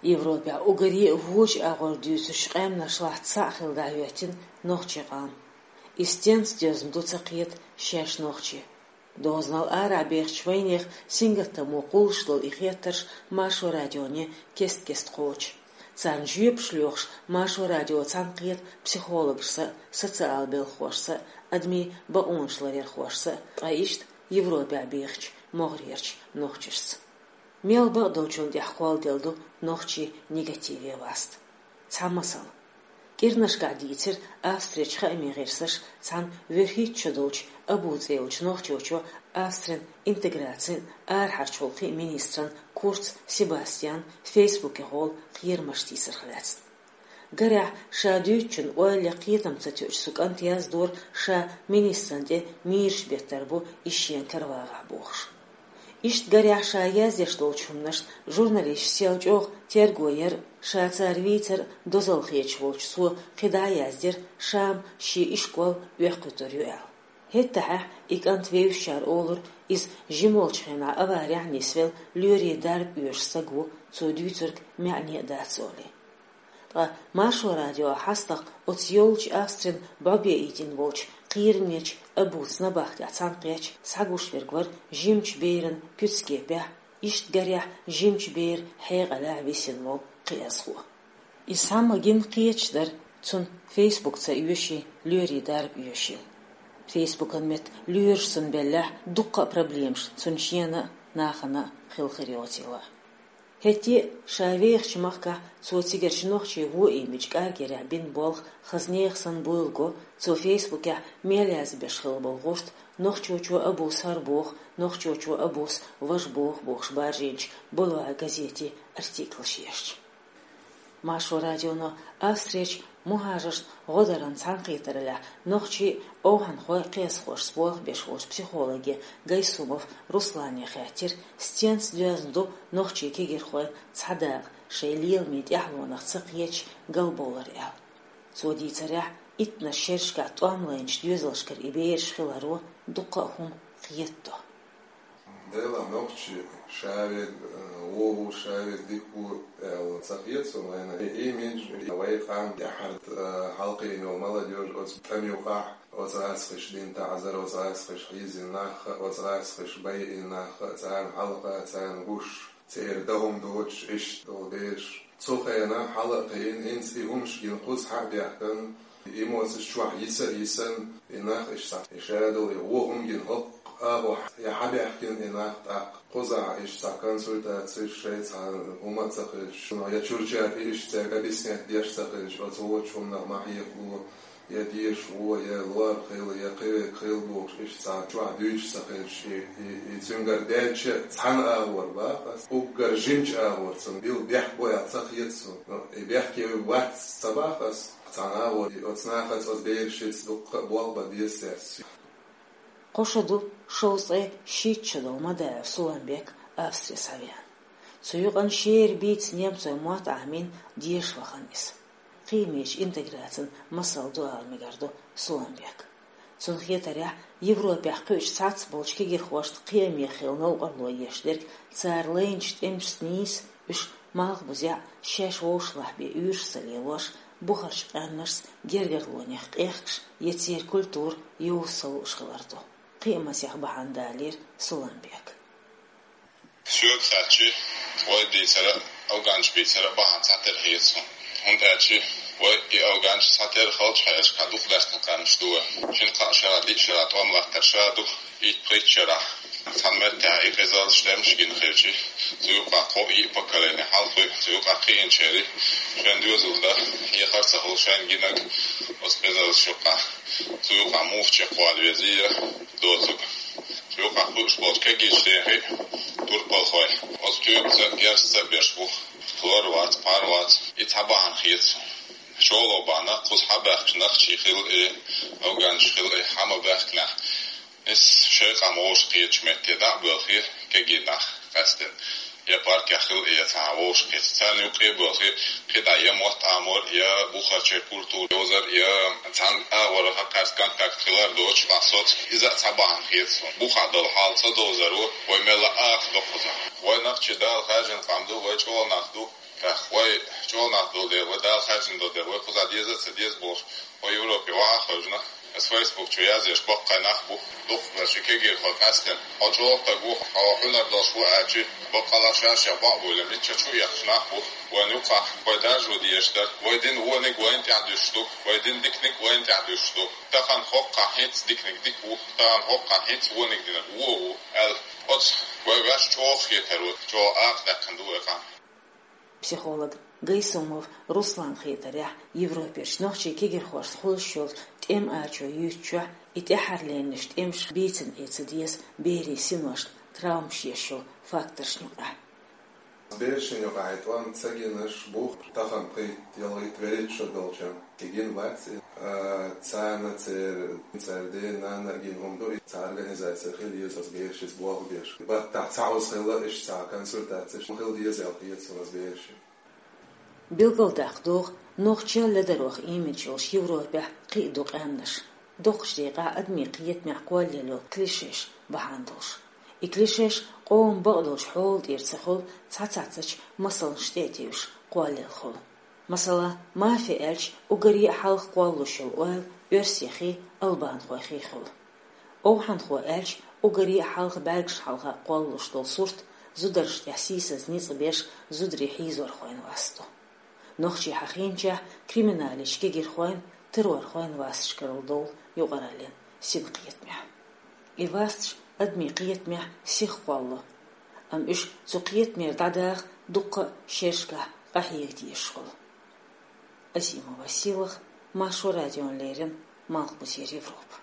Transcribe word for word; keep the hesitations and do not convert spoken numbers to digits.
Европехь уггаре а вочу агӀор дуьйцучу къаьмнешлахь цхьаъ хилла дӀахӀоьттина нохчийн къам. И стенца доьзна ду ца кхета шаьш нохчий. Дозанал арахь бехачу вайнехан сингаттамо кхуллуш долу и хеттарш Маршо радионе кест-кеста кхочу. Царна жоьпаш лоьхуш, Маршо радио цхьаьна кхета психологашца а, социал белхахошца а, адамийн бакъонаш ларъярхошца а, ткъа иштта Европехь бехачу могӀарерчу нохчашца. Мел бакъдолчунна тӀехь кхолладелла ду нохчийн негативе васт. Цхьа масал. КӀирнашкахь дийцира Австрерчу хаамийн гӀирсаша цхьана вуьрхӀитта шо долчу Абу цӀе йолчу нохчочо Австрин интеграцин, арахьарчу гӀуллакхийн министран Курц Себастьянан фейсбукехула кхерамаш тийсарх лаьцна. Гарехь, ша дуьйцучун ойла я кхетам ца тоьуш цу кӀанта яздора, ша министран тӀе мийраш беттар бу, иза шена каравагӀахь бохуш. Иштта гарехь, ша яздеш долчу хӀуманашна журналисташа сел чӀогӀа терго яра, ша цара вийцар дозалла хеташ волчу цо кхидӀа а яздира, ша-м шен ишкол оьккхуьйтур ю аьлла. ХӀеттахьехь и кӀант вевзачара олура, иза жима волчу хенахь аварехь нисвелла лоьрийн дарба оьшу стаг ву, цо дуьйцург маьӀне а дац олий. Ткъа Маршо радио хьастагӀа оцу йолчу Австрин бӀобеийтина волчу кхерамечу Абуца набахтехь цхьаьна кхетча, схьагуш верг вара жимачу беран куьцкепехь, иштта гарехь жимачу беран хьекъалехь висина волу кхиазхо. Иза схьа ма гина кхеташ дара, цунна фейсбук ца оьший, лоьрийн дарба оьший. Фейсбукан метта лоьраш цунна беллехь, дуккха а проблемаш цунна шена а, нахана а хилла хир йоцийла. ХӀетте а ша вехачу махкахь цо цигарчу нохчийн вон имидж кӀаргъярехь бина болх хаза нехан санна буйла го, цо фейсбукехь мел язбеш хилла болу гӀурт «Нохчочо Абус хӀара боху, нохчочо Абус важа боху» бохуш баржийначу «Бульвар» газетийн артиклаш ешча. Маршо радионо Австрерчу мухӀажаршна гӀо даран цхьаьнакхетараллехь нохчийн а, овхӀанхойн а кхиазхошца болх беш волчу психологе Гайсумов Руслане хаьттира, стенца доьзна ду нохчийн кегирхойн цхьа дакъа шайн леламийн тӀаьхьалонах ца кхеташ галбовлар аьлла. Цо дийцарехь, иттаннаш шерашкахь тӀом лайначу доьзалшкара и бераш хиларо дуккха а хӀума кхетадо. Делахь нохчи ша верг, э, вон ву, ша верг дика ву аьлла ца хета суна вайна. И имидж, и вай къам тӀаьхьара, э, хьалкхиъна йолу молодёжь оцу тӀам юкъахь, оцу гӀазкхаша дина таӀзар, оцу гӀазкхаша хьийзина нах, оцу гӀазкхаша байина нах, царна хьалха, царна гуш, церан дан хӀума доцуш, иштта долу бераш. Цу хенахь хьала а кхиъна, хӀинца и хӀумаш гина кхуза схьа а баьхкина, эмоцеш чохь йиса а йисина, и нах иштта схьа, и ша долу и вон хӀума гина хӀокху агӀор я схьабаьхкина и нах тӀаккха. Кхузахь иштта цхьа консультацеш, шайн цхьа хӀума а ца хилча, я чуьрчаьрца иштта цаьрга объяснять деш ца хилча, оцу вочу хӀуманах ма хьекъало, я деша вон, я лор хила, я кхин верг хила бохуш, иштта цхьа чохь дуьйцуш ца хилча, и, и, и цуьнгара даьлча цхьана агӀор баха ас. Уггар жимачу агӀор цунна билла бехк бу аьлла ца хета суна. Ну, и бехке вац ца баха ас. Цхьана агӀор и оцу нахаца, оцу берашца дуккха а болх бан деза цаьрца. Кхо шо ду шовзткъе шийтта шо долу Мадаев Суламбек Австри схьавеана. Цу юкъана шера бийца немцойн мотт Ӏамийна деша вахана иза. Кхиамечу интеграцин масал ду ала мегар ду Суламбека. Цунна хетарехь, Европехь кхуьучу цхьацца болчу кегирхошна кхиаме хилла новкъарло еш дерг цара лайначу тӀемашца нийса, уьш малхбузехь а, шаьш вовшахлахь бен уьйраш ца лелош, бухарчу къаьмнашца гергарлонех къехкаш я церан культура йовза ца лууш хилар ду. Кхиамазех бахьана далийра Суламбека. Соьга хаьттича, вай дийцар а, афганцаша бийцар а бахьана цхьатерра хета суна. ХӀунда аьлча вай и афганцаша цхьатерра халчахьерашкахь дукха даьхкина къаьмнаш ду вай. Шина-кхаа шарахь, диъ шарахь тӀом латтар ша ду, итт-пхийтта шарахь. Цхьана меттехь и къизаллаш тӀемаш гина хилча, цу юкъахь кхо-йиъ поколение хьалхе, цу юкъахь кхиъначеран шайн доьзал дан хьехар а ца хуьлу, шайна гинарг оцу къизаллаш юкъахь, цу юкъахь муха чекхвала везий я доцург. Цу юкъахь кхуьуш болчу кегийчу дехьа турпалхой оцу тоьпаца а, герзаца а берш бу. Хлор вац, пхьар вац. И цхьа бахьана хета суна. ШолгӀа бахьана, кхуза схьабаьхкачу нохчий хила и, афганцаш хила и, схьа ма баьхкинехь, иза шайн къам вовшахкхетачу метте дӀа а боьлхий, кегий нах къаьсттина. Я паркехь хила и, я цхьана вовшахкхетча, царна юккъе а боьлхий, кхидӀа я мотт Ӏамор, я бухарчеран культура йовзар, я цхьана агӀор хьакхаьчча контакт хилар доцуш, вайн соц. Иза а цхьа бахьана хета суна. Бухахь долу хьал ца довзаро вай мелла а акха до кхузахь. Вай нохчий Дала хаьржина къам ду, вай чӀогӀа нах ду. ТӀаккха Чолнах долу дела, вай Дала хаьржина долу дела, вай кхузахь деза а ца деза бохуш, вай Европе ваха а хевшина, аса Facebook чу язъеш боккхий нах бу, дукхахберш кегийрхой къаьстина. Хьо чӀогӀа стаг ву, хьо хьуьнар долуш ву аьлча, баккъалла шаьш а бакъ буйла, мичча чу а ехаш нах бу. Вайн юккъахь вай даржо дезаш дара. Вай дина вониг вайна тӀехь дуьсуш ду, вай дина диканиг вайна тӀехь дуьсуш ду. Тахана хӀокхахь хӀинца диканиг дика ву, тахана хӀокхахь хӀинца вониг динарг вон ву, аьлла. Оцу вай ваьш чӀогӀа хетар ву, чӀогӀа акха даьккхина ду вай къам. Психолог Гайсумов Руслан хетарехь, Европерчу нохчийн кегирхошна хуьлуш йолчу тӀеман ачо юьйцучохь и тӀаьххьарлернаш тӀемаш бийцина Ӏе ца деза берийн синошна, травмаш еш йолу факторшна юкъахь. Берашна юкъахь и тӀом ца гинарш бу, тахана пхийтта, ялхитта, вуьрхӀитта шо долчохь. Тигина вац и. А, царна церан, церан ден-нанна а гина хӀума ду, и цхьа организация хила еза оцу берашца болх беш. Баттахь цхьа оза хилла, иштта цхьа консультацеш хила деза аьлла хета суна оцу берашна. Билгалдаккха догӀу, нохчийн ледаройн имидж йолуш Европехь кхин а ду къаьмнаш. Доккхачу декъехь адамийн кхетамехь кхоллаелла йолу клишеш бахьана долуш. И клишеш къоман бакъдолчу хьола тӀера ца хуьлу, цхьа цхьаццачу масалшна тӀе а тевжаш кхоллаелла хуьлу. Масала, мафи аьлча, уггаре а хьалха кхоллалуш йолу ойла оьрсехи албанхойхи хуьлу. Овхьанхо аьлча, уггаре а хьалха бӀаьргашна хьалха кхоллалуш долу сурт зударшна тӀехь сийсаза ницкъ беш зударий хьийзорхойн васт ду. Нохчий хьахийначехь криминалехь кегирхойн, террорхойн васташ карладовлу юкъараллин синкхетамехь. И васташ адамийн кхетамехь сиха кхоллало, амма уьш цу кхетамера дӀадаха дуккха а шерашкахь къахьега дезаш хуьлу. Азимова Сийлаха, Маршо радиона леррина, Малхбузера Европа.